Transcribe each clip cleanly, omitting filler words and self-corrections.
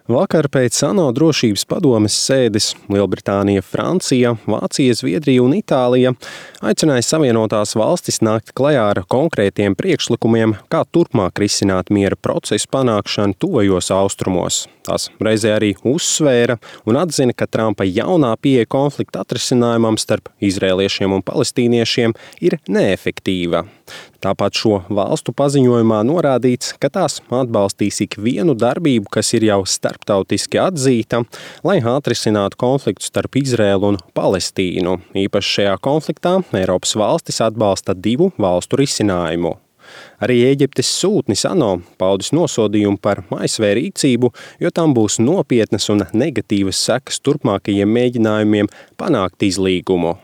Vakar pēc ANO drošības padomes sēdes Lielbritānija, Francija, Vācija, Zviedrija un Itālija aicināja Savienotās valstis nākt klajā ar konkrētiem priekšlikumiem, kā turpmāk risināt miera procesu panākšanu tuvajos austrumos. Tās reizē arī uzsvēra un atzina, ka Trumpa jaunā pieeja konflikta atrisinājumam starp izrēliešiem un palestīniešiem ir neefektīva. Tāpat šo valstu paziņojumā norādīts, ka tās atbalstīs ikvienu darbību, kas ir jau starptautiski atzīta, lai atrisinātu konfliktu starp Izrēlu un Palestīnu. Īpaši šajā konfliktā Eiropas valstis atbalsta divu valstu risinājumu. Arī Ēģiptes sūtnis ANO paudis nosodījumu par ASV rīcību, jo tam būs nopietnas un negatīvas sekas turpmākajiem mēģinājumiem panākt izlīgumu.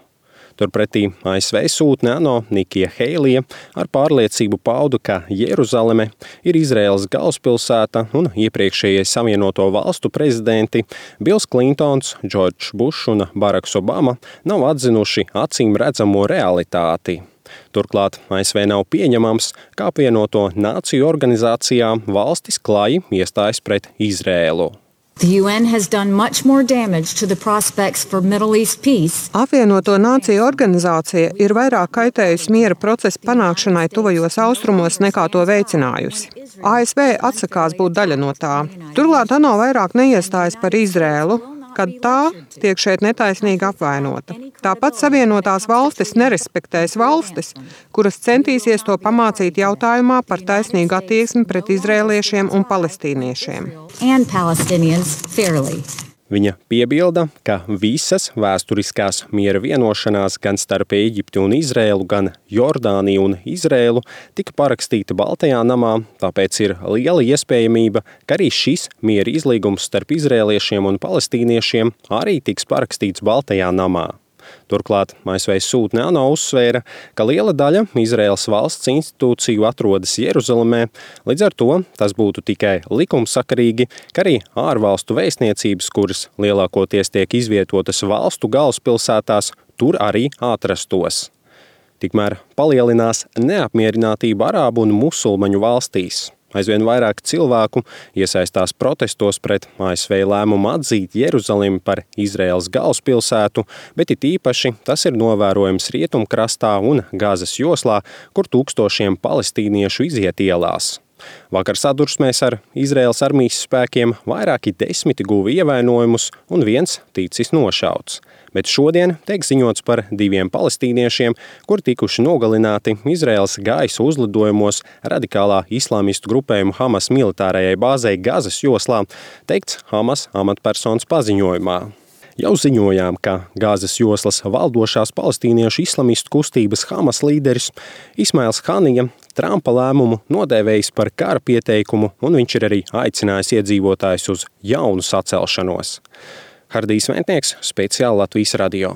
Turpretī ASV sūtne ANO Nikija Heilija ar pārliecību pauda, ka Jeruzaleme ir Izraēlas galvaspilsēta un iepriekšējie Savienoto valstu prezidenti Bills Klintons, Džordžs Bušs un Baraks Obama nav atzinuši acīm redzamo realitāti. Turklāt ASV nav pieņemams, kā apvienoto nāciju organizācijā valstis klāji iestājas pret Izrēlu. Apvienoto nāciju organizācija ir vairāk kaitējusi miera procesa panākšanai tuvajos austrumos nekā to veicinājusi. ASV atsakās būt daļa no tā. Turklāt ANO vairāk neiestājas par Izrēlu, kad tā tiek šeit netaisnīgi apvainota. Tāpat Savienotās valstis nerespektēs valstis, kuras centīsies to pamācīt jautājumā par taisnīgu attieksmi pret izrēliešiem un palestīniešiem. Viņa piebilda, ka visas vēsturiskās miera vienošanās gan starp Ēģipti un Izrēlu, gan Jordāniju un Izrēlu tika parakstīta Baltajā namā, tāpēc ir liela iespējamība, ka arī šis miera izlīgums starp izrēliešiem un palestīniešiem arī tiks parakstīts Baltajā namā. Turklāt ASV sūtne ANO uzsvēra, ka liela daļa Izraēlas valsts institūciju atrodas Jeruzalemē, līdz ar to tas būtu tikai likumsakarīgi, ka arī ārvalstu vēstniecības, kuras lielākoties tiek izvietotas valstu galvaspilsētās, tur arī atrastos. Tikmēr palielinās neapmierinātība arābu un musulmaņu valstīs. Aizvien vairāk cilvēku iesaistās protestos pret ASV lēmumu atzīt Jeruzalemi par Izraēlas galvaspilsētu, bet it īpaši tas ir novērojams Rietumkrastā un Gazas joslā, kur tūkstošiem palestīniešu iziet ielās. Vakar sadursmēs ar Izraēlas armijas spēkiem vairāki desmiti guva ievainojumus un viens ticis nošauts. Bet šodien tiek ziņots par 2 palestīniešiem, kuri tikuši nogalināti Izraēlas gaisa uzlidojumos radikālā islāmistu grupējuma Hamas militārajai bāzei Gazas joslā, teikts Hamas amatpersonas paziņojumā. Jau ziņojām, ka Gazas joslas valdošās palestīniešu islamistu kustības Hamas līderis Ismails Hanija Trumpa lēmumu nodēvējis par kara pieteikumu, un viņš ir arī aicinājis iedzīvotājus uz jaunu sacelšanos. Hardijs Ventnieks, speciāli Latvijas radio.